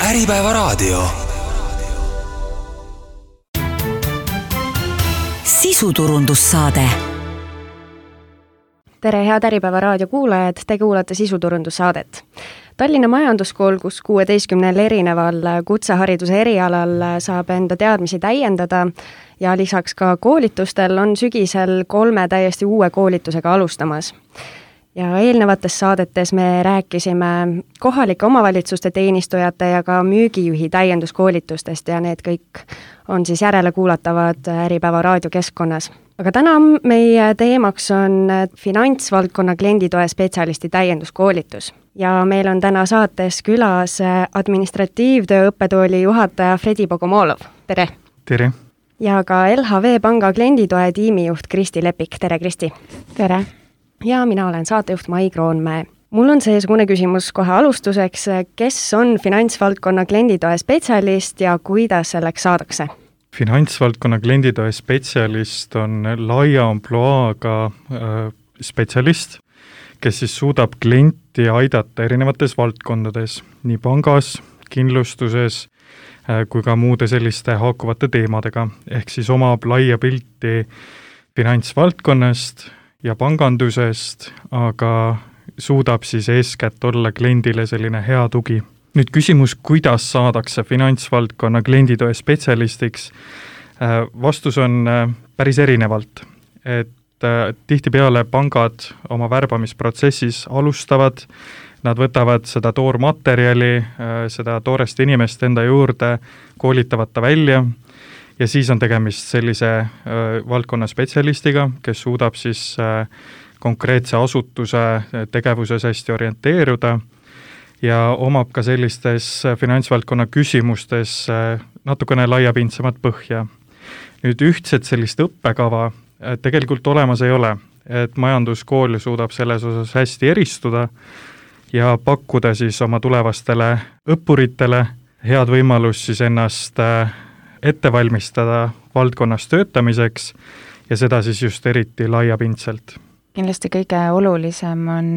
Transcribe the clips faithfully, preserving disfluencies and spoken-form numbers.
Äripäevaraadio. Sisuturundussaade. Tere, head Äripäevaraadio kuulajad, te kuulate sisuturundussaadet. Tallinna Majanduskool, kus kuueteistkümnel erineval kutsehariduse erialal saab enda teadmisi täiendada ja lisaks ka koolitustel on sügisel kolme täiesti uue koolitusega alustamas. Ja eelnevates saadetes me rääkisime kohalike omavalitsuste teenistujate ja ka müügijuhi täienduskoolitustest ja need kõik on siis järele kuulatavad Äripäeva raadiokeskkonnas. Aga täna meie teemaks on finantsvaldkonna klienditoe spetsialisti täienduskoolitus. Ja meil on täna saates külas administratiivtöö õppetooli juhataja Fredi Bogomolov. Tere! Tere! Ja ka L H V Panga klienditoe tiimijuht Kristi Lepik. Tere, Kristi! Tere! Ja mina olen saatejuht Mai Kroonmäe. Mul on seesugune küsimus kohe alustuseks, kes on finantsvaldkonna klienditoe spetsialist ja kuidas selleks saadakse? Finantsvaldkonna klienditoe spetsialist on laia ampluaaga äh, spetsialist, kes siis suudab klienti aidata erinevates valdkondades, nii pangas, kindlustuses äh, kui ka muude selliste haakuvate teemadega, ehk siis omab laia pilti finantsvaldkonnast ja pangandusest, aga suudab siis eeskätt olla kliendile selline hea tugi. Nüüd küsimus, kuidas saadakse finantsvaldkonna klienditoe spetsialistiks? Vastus on päris erinevalt, et tihtipeale pangad oma värbamisprotsessis alustavad, nad võtavad seda toormaterjali, seda toorest inimest enda juurde, koolitavad ta välja, ja siis on tegemist sellise äh, valdkonna spetsialistiga, kes suudab siis äh, konkreetse asutuse tegevuses hästi orienteeruda ja omab ka sellistes finantsvaldkonna küsimustes äh, natukene laiapindsemat põhja. Nüüd ühtset sellist õppekava äh, tegelikult olemas ei ole, et majanduskool suudab selles osas hästi eristuda ja pakkuda siis oma tulevastele õppuritele head võimalust siis ennast äh, ette valmistada valdkonnas töötamiseks ja seda siis just eriti laiapindselt. Kindlasti kõige olulisem on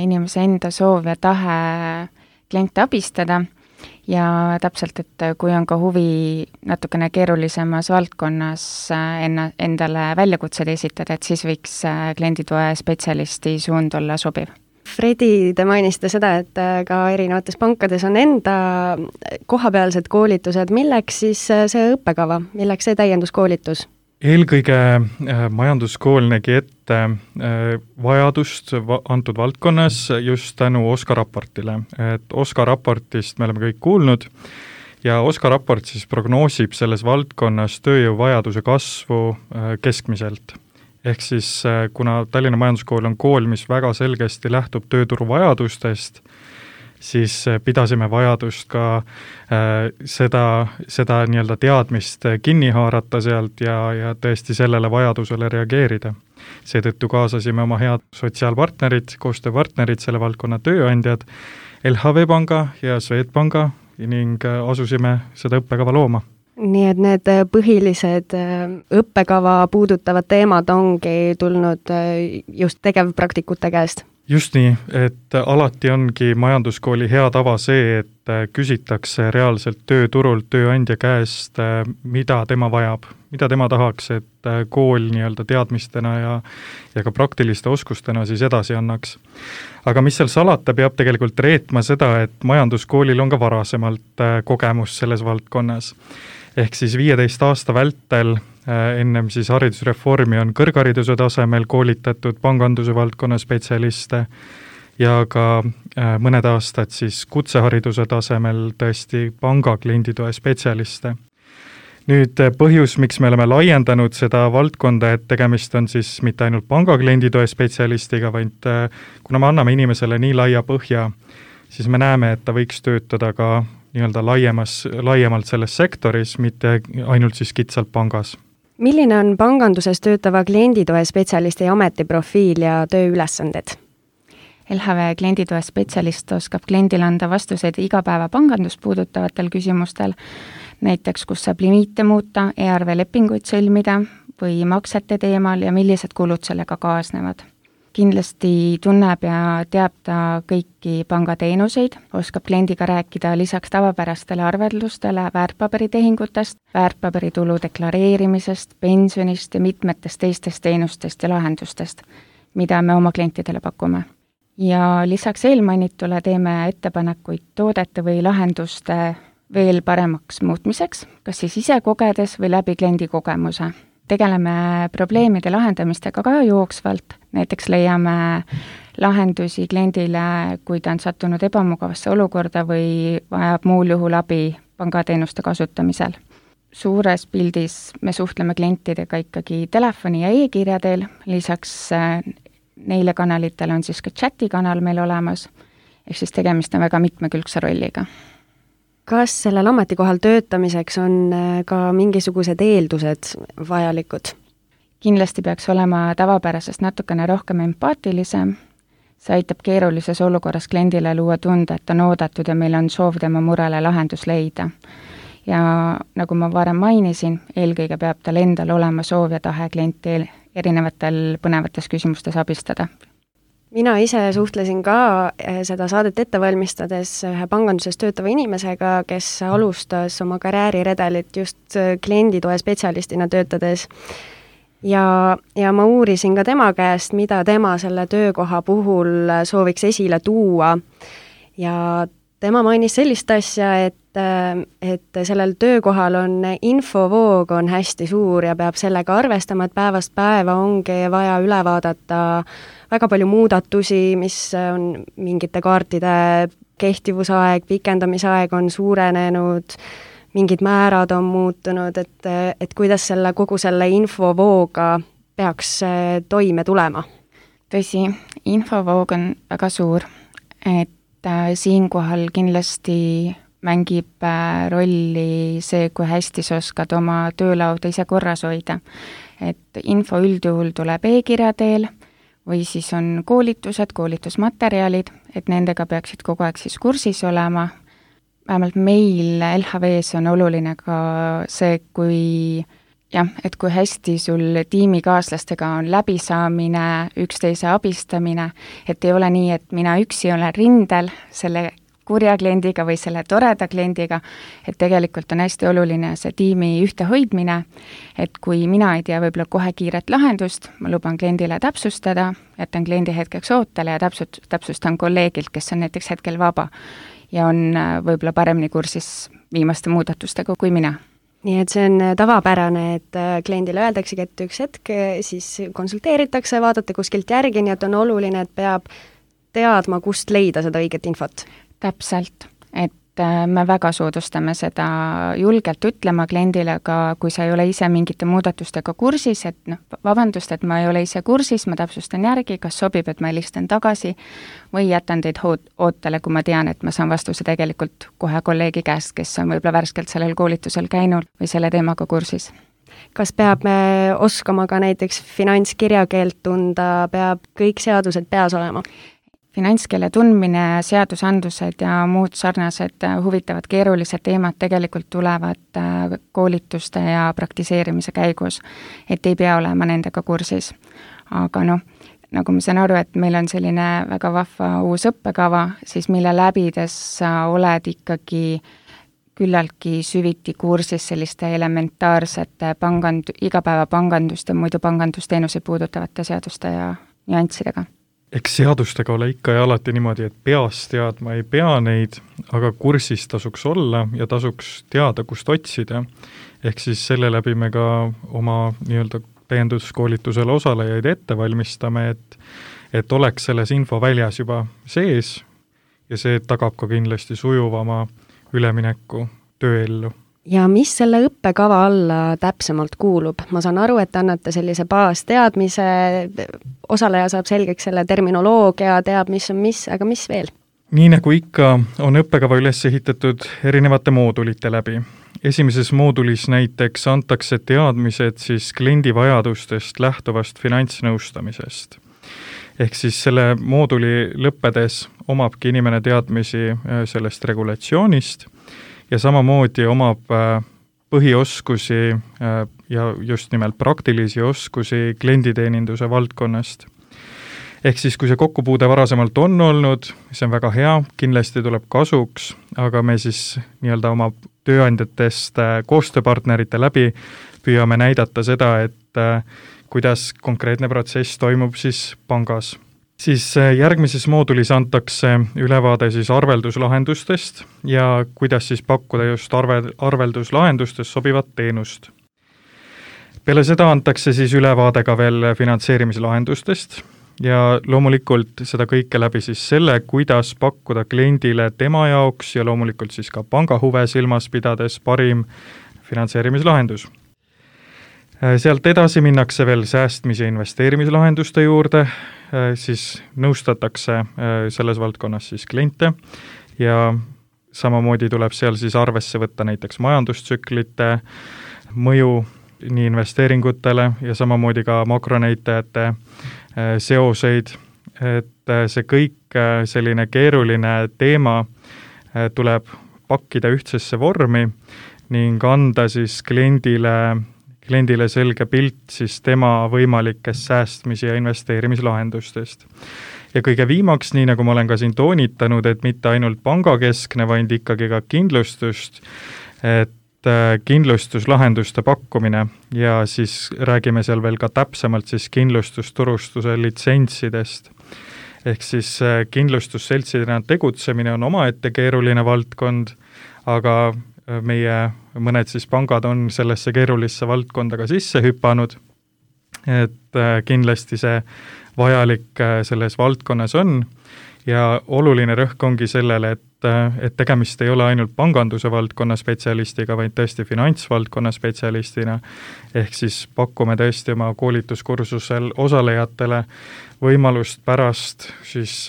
inimese enda soov ja tahe kliente abistada ja täpselt, et kui on ka huvi natukene keerulisemas valdkonnas enna, endale väljakutsed esitada, et siis võiks klienditoe spetsialisti suund olla sobiv. Fredi, te mainisite seda, et ka erinevates pankades on enda kohapealsed koolitused. Milleks siis see õppekava? Milleks see täienduskoolitus? Eelkõige majanduskool nägi ette vajadust antud valdkonnas just tänu OSKA raportile. Et OSKA raportist me oleme kõik kuulnud ja OSKA raport siis prognoosib selles valdkonnas tööjõuvajaduse kasvu keskmiselt. Ehk siis kuna Tallinna Majanduskool on kool, mis väga selgesti lähtub tööturu vajadustest, siis pidasime vajadust ka äh, seda, seda nii-öelda teadmist kinni haarata sealt ja, ja tõesti sellele vajadusele reageerida. Seetõttu kaasasime oma head sotsiaalpartnerid, koostööpartnerid, selle valdkonna tööandjad, L H V Panga ja Swedbanka ning asusime seda õppekava looma. Nii et need põhilised õppekava puudutavad teemad ongi tulnud just tegevpraktikute käest? Just nii, et alati ongi majanduskooli hea tava see, et küsitakse reaalselt tööturult tööandja käest, mida tema vajab, mida tema tahaks, et kool nii-öelda teadmistena ja, ja ka praktiliste oskustena siis edasi annaks. Aga mis seal salata, peab tegelikult reetma seda, et majanduskoolil on ka varasemalt kogemus selles valdkonnas. Ehk siis viieteist aasta vältel ennem siis haridusreformi on kõrghariduse tasemel koolitatud panganduse valdkonna spetsialiste ja ka mõned aastad siis kutsehariduse tasemel tõesti panga klienditoe spetsialiste. Nüüd põhjus, miks me oleme laiendanud seda valdkonda, et tegemist on siis mitte ainult panga klienditoe spetsialistiga, vaid kuna me anname inimesele nii laia põhja, siis me näeme, et ta võiks töötada ka nii-öelda laiemas, laiemalt selles sektoris, mitte ainult siis kitsalt pangas. Milline on panganduses töötava klienditoe spetsialisti ametiprofiil ja tööülesanded? L H V klienditoe spetsialist oskab kliendile anda vastuseid igapäeva pangandust puudutavatel küsimustel, näiteks kus saab limiite muuta, e-arve lepinguid sõlmida või maksete teemal ja millised kulud sellega kaasnevad. kindlasti tunneb ja teab ta kõiki pangateenuseid, oskab kliendiga rääkida lisaks tavapärastele arveldustele väärtpaberitehingutest, väärtpaberitulu deklareerimisest, pensionist ja mitmetest teistest teenustest ja lahendustest, mida me oma klientidele pakume. Ja lisaks eelmainitule teeme ettepanekuid toodete või lahenduste veel paremaks muutmiseks, kas siis ise kogedes või läbi kliendi kogemuse. Tegeleme probleemide lahendamistega ka jooksvalt, näiteks leiame lahendusi kliendile, kui ta on sattunud ebamugavasse olukorda või vajab muul juhul abi pangateenuste kasutamisel. Suures pildis me suhtleme klientidega ikkagi telefoni ja e-kirja teel, lisaks neile kanalitele on siis ka chati kanal meil olemas, ehk siis tegemist on väga mitmekülgse rolliga. Kas sellel ametikohal töötamiseks on ka mingisugused eeldused vajalikud? Kindlasti peaks olema tavapärasest natukene rohkem empaatilisem. See aitab keerulises olukorras kliendile luua tunde, et on oodatud ja meil on soov tema murele lahendus leida. Ja nagu ma varem mainisin, eelkõige peab tal endal olema soov ja tahe klienti erinevatel põnevates küsimustes abistada. Mina ise suhtlesin ka seda saadet ette valmistades ühe panganduses töötava inimesega, kes alustas oma karjääriredelit just klienditoe spetsialistina töötades. Ja, ja ma uurisin ka tema käest, mida tema selle töökoha puhul sooviks esile tuua. Ja tema mainis sellist asja, et, et sellel töökohal on infovoog on hästi suur ja peab sellega arvestama, et päevast päeva ongi vaja üle vaadata väga palju muudatusi, mis on mingite kaartide kehtivusaeg, pikendamisaeg on suurenenud, mingid määrad on muutunud, et, et kuidas selle kogu selle infovooga peaks toime tulema? Tõsi, infovoog on väga suur, et siinkohal kindlasti mängib rolli see, kui hästi sa oskad oma töölauda ise korras hoida. Et info üldjuhul tuleb e-kirja teel või siis on koolitused, koolitusmaterjalid, et nendega peaksid kogu aeg siis kursis olema. Vähemalt meil L H V-s on oluline ka see, kui, jah, et kui hästi sul tiimikaaslastega on läbisaamine, üksteise abistamine, et ei ole nii, et mina üksi olen rindel selle kurja kliendiga või selle toreda kliendiga, et tegelikult on hästi oluline see tiimi ühtehoidmine, et kui mina ei tea võib-olla kohe kiiret lahendust, ma luban kliendile täpsustada, jätan kliendi hetkeks ootele ja täpsust, täpsustan kolleegilt, kes on näiteks hetkel vaba ja on võib-olla paremini kursis viimaste muudatustega kui mina. Nii et see on tavapärane, et kliendile öeldaksegi, et üks hetk siis konsulteeritakse, vaadata kuskilt järgi, nii et on oluline, et peab teadma, kust leida seda õiget infot. Täpselt, et me väga soodustame seda julgelt ütlema kliendile, aga kui sa ei ole ise mingite muudatustega kursis, et noh, vabandust, et ma ei ole ise kursis, ma täpsustan järgi, kas sobib, et ma helistan tagasi või jätan teid ootele, kui ma tean, et ma saan vastuse tegelikult kohe kolleegi käest, kes on võib-olla värskelt sellel koolitusel käinud või selle teemaga kursis. Kas peab oskama ka näiteks finantskirjakeelt tunda, peab kõik seadused peas olema? Finantskeele tundmine, seadusandlused ja muud sarnased huvitavad keerulised teemad tegelikult tulevad koolituste ja praktiseerimise käigus, et ei pea olema nendega kursis. Aga noh, nagu ma saan aru, et meil on selline väga vahva uus õppekava, siis mille läbides sa oled ikkagi küllaltki süviti kursis selliste elementaarsete pangand, igapäeva pangandust ja muidu pangandusteenuseid puudutavate seaduste ja nüanssidega. Eks seadustega ole ikka ja alati niimoodi, et peast teadma ei pea neid, aga kursis tasuks olla ja tasuks teada, kust otsida. Ehk siis selle läbi me ka oma nii-öelda täienduskoolitusele osalejaid ette valmistame, et, et oleks selles info väljas juba sees ja see tagab ka kindlasti sujuvama ülemineku tööellu. Ja mis selle õppekava alla täpsemalt kuulub? Ma saan aru, et annate sellise baasteadmise, osaleja saab selgeks selle terminoloogia, teab, mis on mis, aga mis veel? Nii nagu ikka on õppekava üles ehitatud erinevate moodulite läbi. Esimeses moodulis näiteks antakse teadmised siis kliendi vajadustest lähtuvast finantsnõustamisest. Ehk siis selle mooduli lõppedes omabki inimene teadmisi sellest regulatsioonist ja samamoodi omab põhioskusi ja just nimelt praktilisi oskusi klienditeeninduse valdkonnast. ehk siis, kui see kokkupuude varasemalt on olnud, see on väga hea, kindlasti tuleb kasuks, aga me siis nii-öelda oma tööandjatest koostööpartnerite läbi püüame näidata seda, et kuidas konkreetne protsess toimub siis pangas. Siis järgmises moodulis antakse ülevaade siis arvelduslahendustest ja kuidas siis pakkuda just arve, arvelduslahendustest sobivat teenust. Peale seda antakse siis ülevaade ka veel finantseerimislahendustest ja loomulikult seda kõike läbi siis selle, kuidas pakkuda kliendile tema jaoks ja loomulikult siis ka panga huve silmas pidades parim finantseerimislahendus. Sealt edasi minnakse veel säästmis- ja investeerimislahenduste juurde, siis nõustatakse selles valdkonnas siis kliente ja samamoodi tuleb seal siis arvesse võtta näiteks majandustsüklite mõju nii investeeringutele ja samamoodi ka makronäitajate seoseid, et see kõik selline keeruline teema tuleb pakkida ühtsesse vormi ning anda siis kliendile kliendile selge pilt siis tema võimalikest säästmis- ja investeerimislahendustest. Ja kõige viimaks, nii nagu ma olen ka siin toonitanud, et mitte ainult pangakeskne, vaid ikkagi ka kindlustust, et kindlustuslahenduste pakkumine ja siis räägime seal veel ka täpsemalt siis kindlustusturustuse litsentsidest. Ehk siis kindlustusseltsidena tegutsemine on omaette keeruline valdkond, aga meie mõned siis pangad on sellesse keerulisse valdkonda ka sisse hüpanud, et kindlasti see vajalik selles valdkonnas on ja oluline rõhk ongi sellele, et, et tegemist ei ole ainult panganduse valdkonna spetsialistiga, vaid tõesti finantsvaldkonna spetsialistina, ehk siis pakume tõesti oma koolituskursusel osalejatele võimalust pärast siis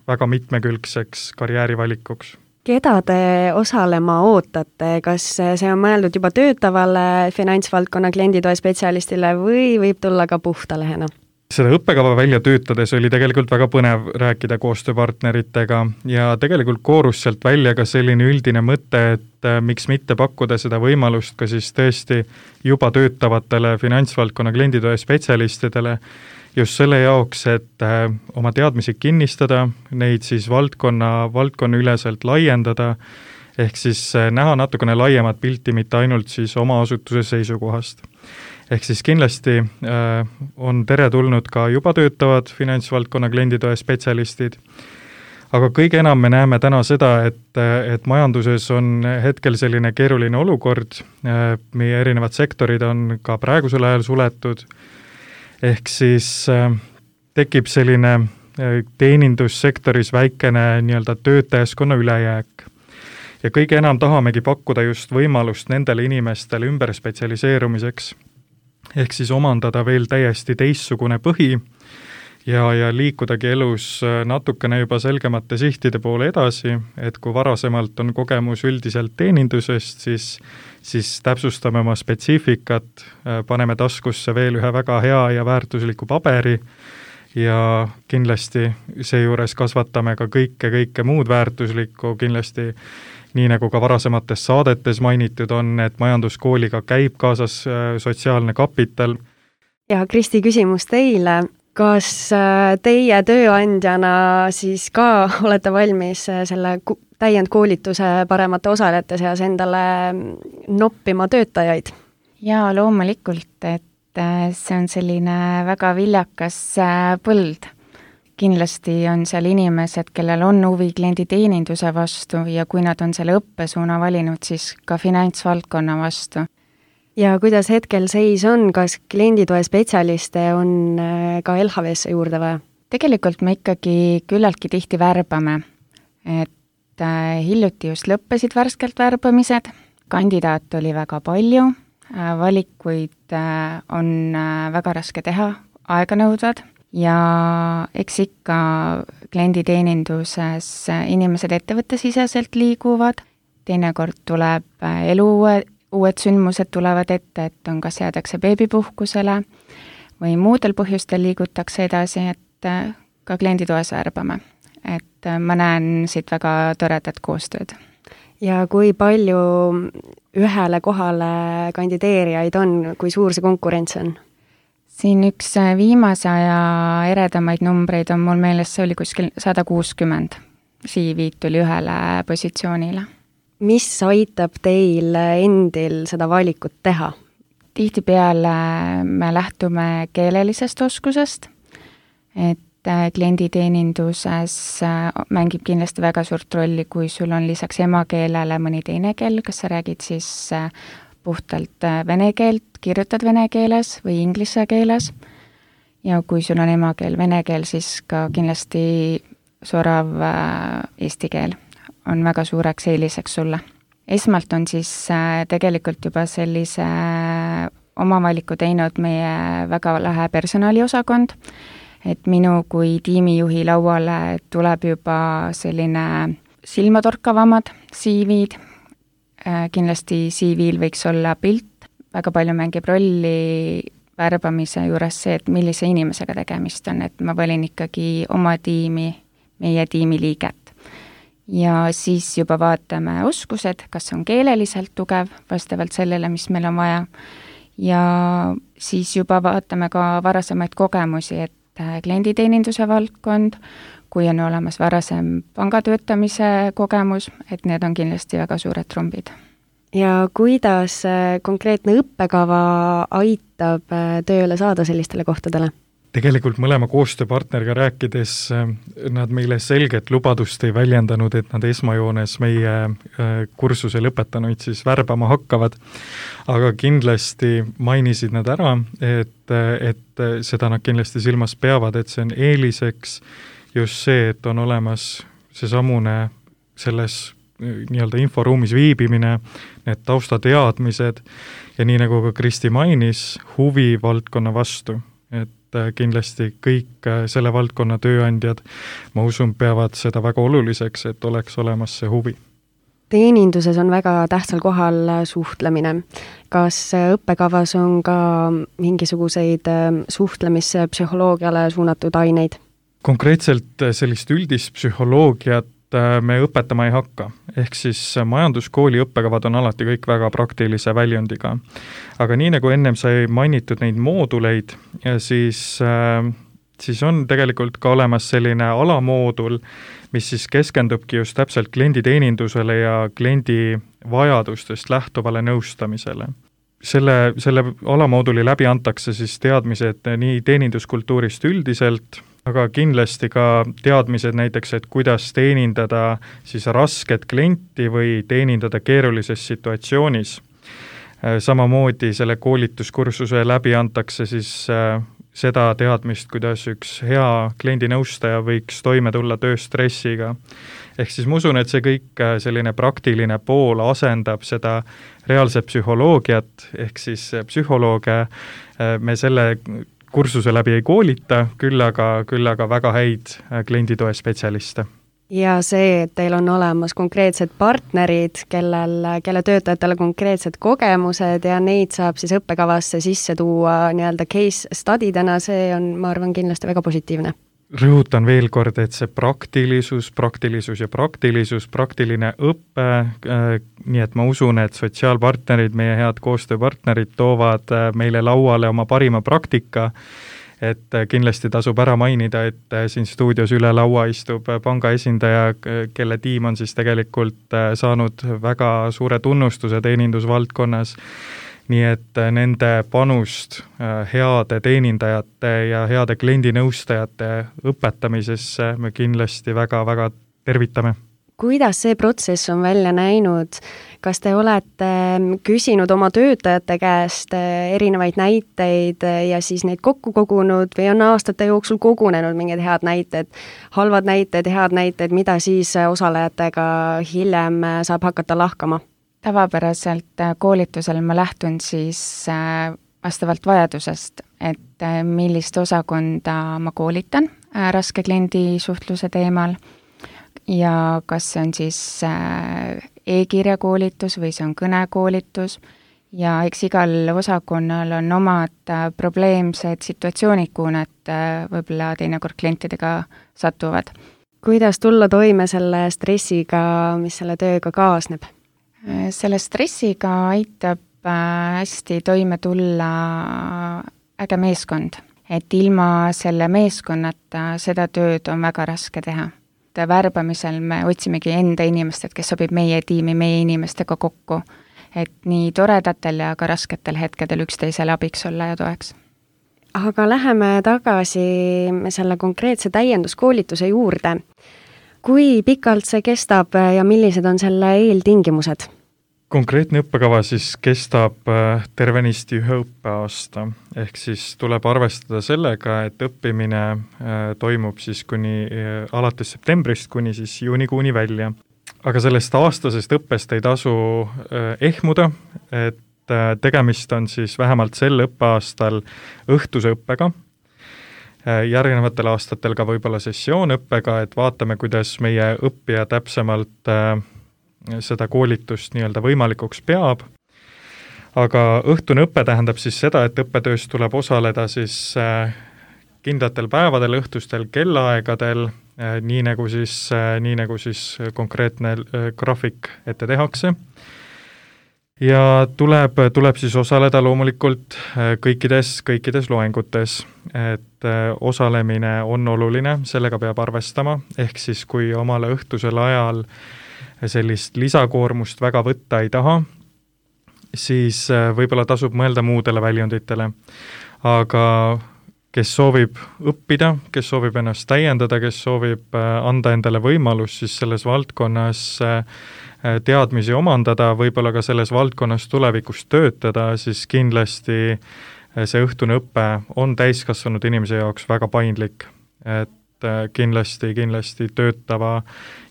väga mitmekülgseks karjäärivalikuks. Keda te osalema ootate, kas see on mõeldud juba töötavale finantsvaldkonna klienditoe spetsialistile või võib tulla ka puhtalehena? Seda õppekava välja töötades oli tegelikult väga põnev rääkida koostööpartneritega ja tegelikult koorus sealt välja ka selline üldine mõte, et miks mitte pakkuda seda võimalust ka siis tõesti juba töötavatele finantsvaldkonna klienditoe spetsialistidele, just selle jaoks, et oma teadmisi kinnistada, neid siis valdkonna, valdkonna üleselt laiendada, ehk siis näha natukene laiemat pilti, mitte ainult siis oma asutuse seisukohast. Ehk siis kindlasti on teretulnud ka juba töötavad finantsvaldkonna klienditoe spetsialistid, aga kõige enam me näeme täna seda, et, et majanduses on hetkel selline keeruline olukord, meie erinevad sektorid on ka praegusel ajal suletud, ehk siis äh, tekib selline äh, teenindussektoris väikene nii-öelda töötajaskonna ülejääk. Ja kõige enam tahamegi pakkuda just võimalust nendele inimestele ümber spetsialiseerumiseks, ehk siis omandada veel täiesti teistsugune põhi ja, ja liikudagi elus natukene juba selgemate sihtide poole edasi, et kui varasemalt on kogemus üldiselt teenindusest, siis siis täpsustame oma spetsiifikat, paneme taskusse veel ühe väga hea ja väärtusliku paberi ja kindlasti seejuures kasvatame ka kõike, kõike muud väärtuslikku, kindlasti nii nagu ka varasemates saadetes mainitud on, et majanduskooliga käib kaasas sotsiaalne kapital. Ja Kristi, küsimus teile. Kas teie tööandjana siis ka olete valmis selle täiendkoolituse paremate osalejate seas endale noppima töötajaid? Jaa, loomulikult, et see on selline väga viljakas põld. Kindlasti on seal inimesed, kellel on huvi klienditeeninduse vastu ja kui nad on selle õppesuuna valinud, siis ka finantsvaldkonna vastu. Ja kuidas hetkel seis on, kas klienditoe spetsialiste on ka L H V-sse juurde vaja? Tegelikult me ikkagi küllaltki tihti värbame, et hiljuti just lõppesid värskelt värbamised, kandidaat oli väga palju, valikuid on väga raske teha, aeganõudvad ja eks ikka klienditeeninduses inimesed ettevõttesiseselt liiguvad, teinekord tuleb elu uued sündmused tulevad ette, et on kas jäädakse beebipuhkusele või muudel põhjustel liigutakse edasi, et ka klienditoes värbame. Et ma näen siit väga toredat koostööd. Ja kui palju ühele kohale kandideerijaid on, kui suur see konkurents on? siin üks viimase aja eredamaid numbreid on mul meeles, see oli kuskil sada kuuskümmend C V-d tuli ühele positsioonile. Mis aitab teil endil seda valikut teha? Tihtipeale me lähtume keelelisest oskusest, et klienditeeninduses mängib kindlasti väga suurt rolli, kui sul on lisaks emakeelele mõni teine keel, kas sa räägid siis puhtalt vene keelt, kirjutad vene keeles või inglise keeles, ja kui sul on emakeel vene keel, siis ka kindlasti sorav eesti keel on väga suureks eeliseks sulle. Esmalt on siis tegelikult juba sellise oma valiku teinud meie väga lahe personaliosakond, et minu kui tiimijuhi lauale tuleb juba selline silmatorkavamad C V-d, kindlasti C V-l võiks olla pilt, väga palju mängib rolli värbamise juures see, et millise inimesega tegemist on, et ma valin ikkagi oma tiimi, meie tiimi liiget. Ja siis juba vaatame oskused, kas on keeleliselt tugev, vastavalt sellele, mis meil on vaja, ja siis juba vaatame ka varasemaid kogemusi, et klienditeeninduse valdkond, kui on olemas varasem pangatöötamise kogemus, et need on kindlasti väga suured trumbid. Ja kuidas konkreetne õppekava aitab tööle saada sellistele kohtadele? Tegelikult mõlema koostööpartneriga rääkides nad meile selget lubadust ei väljendanud, et nad esmajoones meie kursuse lõpetanuid siis värbama hakkavad, aga kindlasti mainisid nad ära, et, et seda nad kindlasti silmas peavad, et see on eeliseks just see, et on olemas see samune selles nii-öelda inforuumis viibimine, need taustateadmised ja nii nagu ka Kristi mainis, huvi valdkonna vastu, et kindlasti kõik selle valdkonna tööandjad, ma usun, peavad seda väga oluliseks, et oleks olemas see huvi. Teeninduses on väga tähtsal kohal suhtlemine. Kas õppekavas on ka mingisuguseid suhtlemispsühholoogiale suunatud aineid? Konkreetselt sellist üldist psühholoogiat me õpetama ei hakka, ehk siis majanduskooli õppekavad on alati kõik väga praktilise väljundiga. Aga nii nagu ennem sai mainitud neid mooduleid, siis, siis on tegelikult ka olemas selline alamoodul, mis siis keskendubki just täpselt klienditeenindusele ja kliendi vajadustest lähtuvale nõustamisele. Selle, selle alamooduli läbi antakse siis teadmised nii teeninduskultuurist üldiselt, aga kindlasti ka teadmised näiteks, et kuidas teenindada siis rasket klienti või teenindada keerulises situatsioonis. Samamoodi selle koolituskursuse läbi antakse siis seda teadmist, kuidas üks hea kliendinõustaja võiks toime tulla tööstressiga. Ehk siis ma usun, et see kõik selline praktiline pool asendab seda reaalset psühholoogiat, ehk siis psühholooge me selle kursuse läbi ei koolita, küll aga, küll aga väga häid klienditoe spetsialiste. Ja see, et teil on olemas konkreetsed partnerid, kellel, kelle töötajatele konkreetsed kogemused ja neid saab siis õppekavasse sisse tuua nii-öelda case studydena, see on, ma arvan, kindlasti väga positiivne. Rõhutan veel kord, et see praktilisus, praktilisus ja praktilisus, praktiline õppe, nii et ma usun, et sotsiaalpartnerid, meie head koostööpartnerid toovad meile lauale oma parima praktika, et kindlasti tasub ära mainida, et siin stuudios üle laua istub panga esindaja, kelle tiim on siis tegelikult saanud väga suure tunnustuse teenindusvaldkonnas, nii et nende panust heade teenindajate ja heade kliendinõustajate õpetamisesse me kindlasti väga-väga tervitame. Kuidas see protsess on välja näinud? Kas te olete küsinud oma töötajate käest erinevaid näiteid ja siis neid kokku kogunud või on aastate jooksul kogunenud mingid head näited, halvad näited, head näited, mida siis osalejatega hiljem saab hakata lahkama? Tavapäraselt koolitusel ma lähtun siis vastavalt vajadusest, et millist osakonda ma koolitan raske kliendisuhtluse teemal ja kas see on siis e-kirja koolitus või see on kõnekoolitus ja eks igal osakonnal on omad probleemsed situatsioonid, kuhu nad võib-olla teinekord klientidega satuvad. Kuidas tulla toime selle stressiga, mis selle tööga kaasneb? Selle stressiga aitab hästi toime tulla äge meeskond, et ilma selle meeskonnata seda tööd on väga raske teha. Värbamisel me otsimegi enda inimest, et kes sobib meie tiimi, meie inimestega kokku, et nii toredatel ja ka rasketel hetkedel üksteisele abiks olla ja toeks. Aga läheme tagasi selle konkreetse täienduskoolituse juurde. Kui pikalt see kestab ja millised on selle eeltingimused? Konkreetne õppekava siis kestab tervenisti ühe õppeaasta, ehk siis tuleb arvestada sellega, et õppimine toimub siis kuni alates septembrist kuni siis juunikuuni välja. Aga sellest aastasest õppest ei tasu ehmuda, et tegemist on siis vähemalt sel õppeaastal õhtuse õppega, järgnevatel aastatel ka võib-olla sessioonõppega, et vaatame, kuidas meie õppija täpsemalt seda koolitust nii-öelda võimalikuks peab. Aga õhtune õppe tähendab siis seda, et õppetöös tuleb osaleda siis kindlatel päevadel, õhtustel kellaaegadel, nii nagu siis, nii nagu siis konkreetne graafik ette tehakse. Ja tuleb, tuleb siis osaleda loomulikult kõikides, kõikides loengutes, et osalemine on oluline, sellega peab arvestama, ehk siis kui omale õhtusel ajal sellist lisakoormust väga võtta ei taha, siis võib-olla tasub mõelda muudele väljunditele. Aga kes soovib õppida, kes soovib ennast täiendada, kes soovib anda endale võimalus siis selles valdkonnas teadmisi omandada, võib-olla ka selles valdkonnas tulevikus töötada, siis kindlasti see õhtune õppe on täiskasvanud inimese jaoks väga paindlik, et kindlasti, kindlasti töötava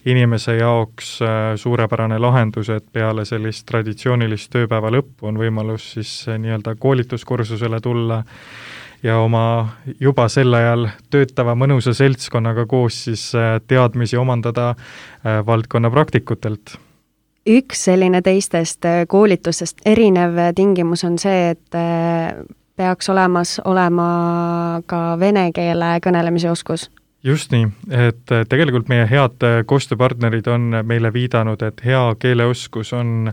inimese jaoks suurepärane lahendus, et peale sellist traditsioonilist tööpäeva lõppu on võimalus siis nii-öelda koolituskursusele tulla ja oma juba sel ajal töötava mõnusa seltskonnaga koos siis teadmisi omandada valdkonna praktikutelt. Üks selline teistest koolitustest erinev tingimus on see, et peaks olemas olema ka vene keele kõnelemise oskus. Just nii, et tegelikult meie head koostööpartnerid on meile viidanud, et hea keeleoskus on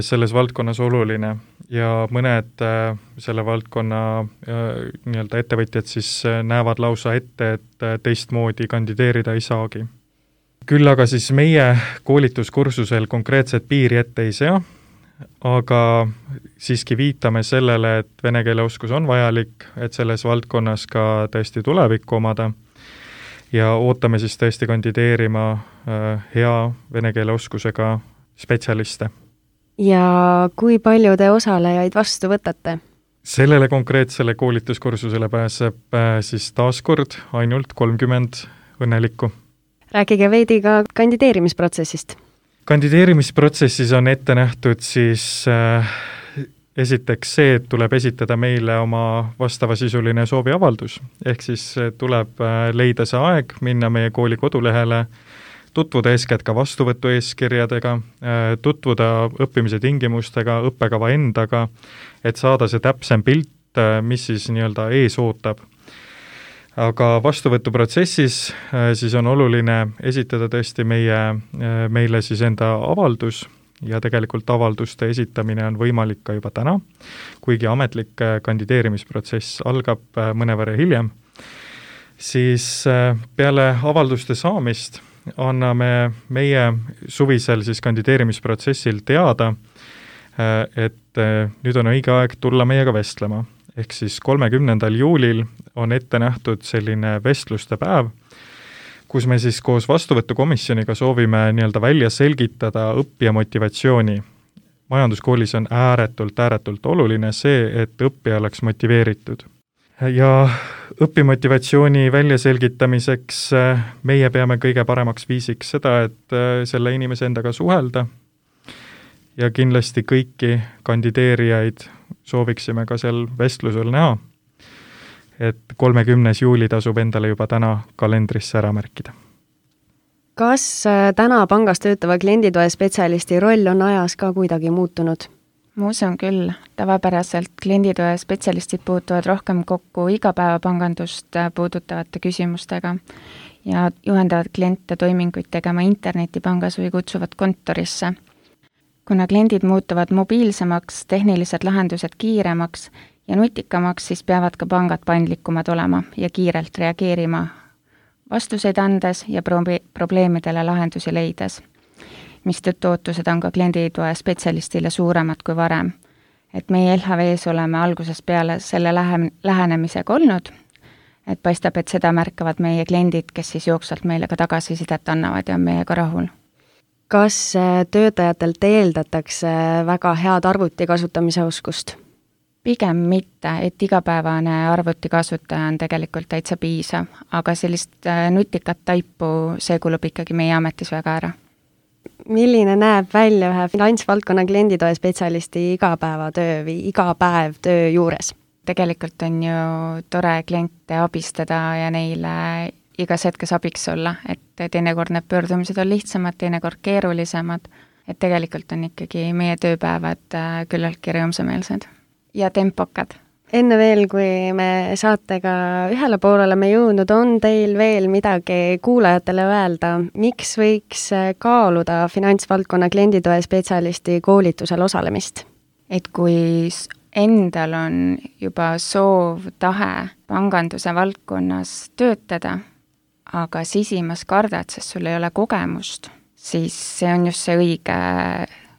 selles valdkonnas oluline ja mõned selle valdkonna nii-öelda ettevõtjad siis näevad lausa ette, et teistmoodi kandideerida ei saagi. Küll aga siis meie koolituskursusel konkreetset piiri ette ei sea, aga siiski viitame sellele, et vene keele oskus on vajalik, et selles valdkonnas ka tõesti tulevikku omada ja ootame siis tõesti kandideerima hea vene keele oskusega spetsialiste. Ja kui palju te osalejaid vastu võtate? Sellele konkreetsele koolituskursusele pääseb siis taaskord ainult kolmkümmend õnnelikku. Rääkige veidi ka kandideerimisprotsessist. Kandideerimisprotsessis on ette nähtud siis äh, esiteks see, et tuleb esitada meile oma vastavasisuline sooviavaldus. Ehk siis tuleb äh, leida see aeg, minna meie kooli kodulehele, tutvuda eeskätt ka vastuvõtu eeskirjadega, äh, tutvuda õppimise tingimustega, õppekava endaga, et saada see täpsem pilt, äh, mis siis nii-öelda ees ootab. Aga vastuvõtuprotsessis siis on oluline esitada tõesti meie, meile siis enda avaldus ja tegelikult avalduste esitamine on võimalik ka juba täna, kuigi ametlik kandideerimisprotsess algab mõnevõrra hiljem. Siis peale avalduste saamist anname meie suvisel siis kandideerimisprotsessil teada, et nüüd on õige aeg tulla meiega vestlema. Ehk siis kolmekümnendal juulil on ette nähtud selline vestluste päev, kus me siis koos vastuvõtukomisjoniga soovime nii-öelda välja selgitada õppija motivatsiooni. Majanduskoolis on ääretult, ääretult oluline see, et õppija oleks motiveeritud. Ja õppimotivatsiooni väljaselgitamiseks meie peame kõige paremaks viisiks seda, et selle inimese endaga suhelda ja kindlasti kõiki kandideerijaid sooviksime ka seal vestlusel näha, et kolmekümnes juuli tasub endale juba täna kalendrisse ära märkida. Kas täna pangas töötava klienditoe spetsialisti roll on ajas ka kuidagi muutunud? Ma usun küll, tavapäraselt klienditoe spetsialistid puutuvad rohkem kokku igapäevapangandust puudutavate küsimustega ja juhendavad kliente toiminguid tegema internetipangas või kutsuvad kontorisse. Kuna kliendid muutuvad mobiilsemaks, tehnilised lahendused kiiremaks ja nutikamaks, siis peavad ka pangad paindlikumad olema ja kiirelt reageerima vastuseid andes ja probi- probleemidele lahendusi leides, mistõttu ootused on ka klienditoe spetsialistile suuremad kui varem. Et meie L H V-s oleme algusest peale selle lähe- lähenemisega olnud, et paistab, et seda märkavad meie kliendid, kes siis jooksvalt meile ka tagasisidet annavad ja on meiega rahul. Kas töötajatelt eeldatakse väga head arvuti kasutamise oskust? Pigem mitte, et igapäevane arvuti kasutaja on tegelikult täitsa piisav, aga sellist nutikat taipu, see kulub ikkagi meie ametis väga ära. Milline näeb välja ühe finantsvaldkonna klienditoe spetsialisti igapäevatöö või igapäev töö juures? Tegelikult on ju tore kliente abistada ja neile igas hetkes abiks olla, et teinekord need pöördumised on lihtsamad, teinekord keerulisemad, et tegelikult on ikkagi meie tööpäevad küllaltki rõõmsameelsed ja tempokad. Enne veel, kui me saatega ühele poole oleme jõudnud, on teil veel midagi kuulajatele öelda, miks võiks kaaluda finantsvaldkonna klienditoe spetsialisti koolitusel osalemist? Et kui endal on juba soov, tahe panganduse valdkonnas töötada, aga sisimas kardad, sest sul ei ole kogemust, siis see on just see õige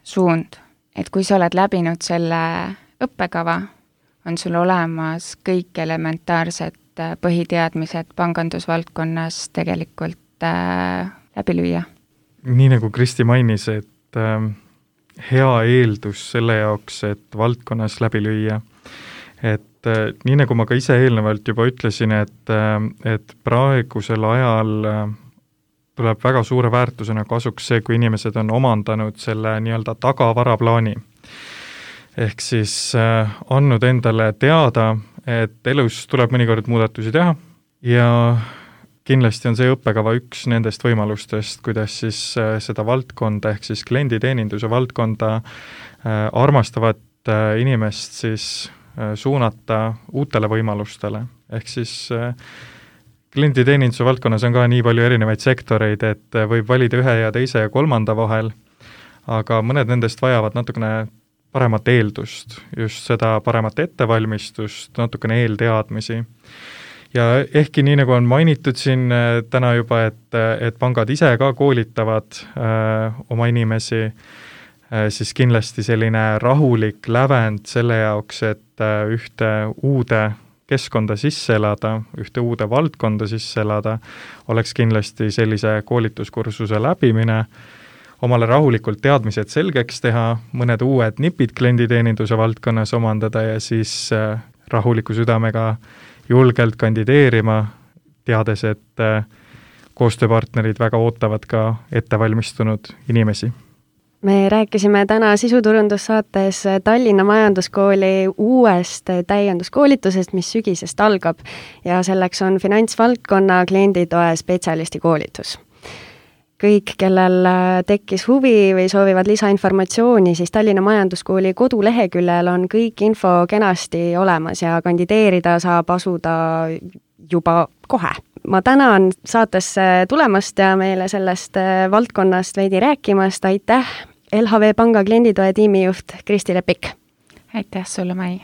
suund. Et kui sa oled läbinud selle õppekava, on sul olemas kõik elementaarsed põhiteadmised pangandusvaldkonnas tegelikult äh, läbi lüüa. Nii nagu Kristi mainis, et äh, hea eeldus selle jaoks, et valdkonnas läbi lüüa. Et äh, nii nagu ma ka ise eelnevalt juba ütlesin, et, äh, et praegusel ajal äh, tuleb väga suure väärtusena kasuks see, kui inimesed on omandanud selle nii-öelda tagavaraplaani. Ehk siis äh, andnud endale teada, et elus tuleb mõnikord muudatusi teha ja kindlasti on see õppekava üks nendest võimalustest, kuidas siis äh, seda valdkonda ehk siis klienditeeninduse valdkonda äh, armastavat äh, inimest siis äh, suunata uutele võimalustele. Ehk siis äh, klienditeeninduse valdkonnas on ka nii palju erinevaid sektoreid, et äh, võib valida ühe ja teise ja kolmanda vahel, aga mõned nendest vajavad natukene paremat eeldust, just seda paremat ettevalmistust, natukene eelteadmisi. Ja ehkki nii nagu on mainitud siin täna juba, et, et pangad ise ka koolitavad äh, oma inimesi, äh, siis kindlasti selline rahulik lävend selle jaoks, et äh, ühte uude keskkonda sisse elada, ühte uude valdkonda sisse elada, oleks kindlasti sellise koolituskursuse läbimine, omale rahulikult teadmised selgeks teha, mõned uued nipid klienditeeninduse valdkonnas omandada ja siis äh, rahuliku südamega julgelt kandideerima, teades, et äh, koostööpartnerid väga ootavad ka ettevalmistunud inimesi. Me rääkisime täna sisuturundussaates Tallinna Majanduskooli uuest täienduskoolitusest, mis sügisest algab ja selleks on finantsvaldkonna klienditoe spetsialisti koolitus. Kõik, kellel tekkis huvi või soovivad lisainformatsiooni, siis Tallinna Majanduskooli koduleheküljel on kõik info kenasti olemas ja kandideerida saab asuda juba kohe. Ma tänan saatesse tulemast ja meile sellest valdkonnast veidi rääkimast. Aitäh, L H V Panga klienditoe tiimijuht Kristi Lepik. Aitäh sulle, Mai.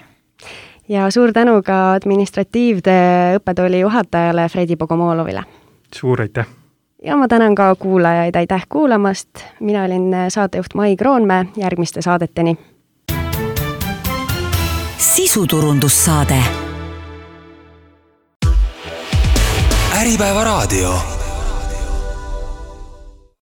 Ja suur tänu ka administratiivtöö õppetooli juhatajale Fredi Bogomolovile. Suur aitäh! Ja ma tänan ka kuulajaid, aitäh kuulamast. Mina olin saatejuht Mai Kroonmäe, järgmiste saadeteni. Sisuturundussaade. Äripäeva raadio.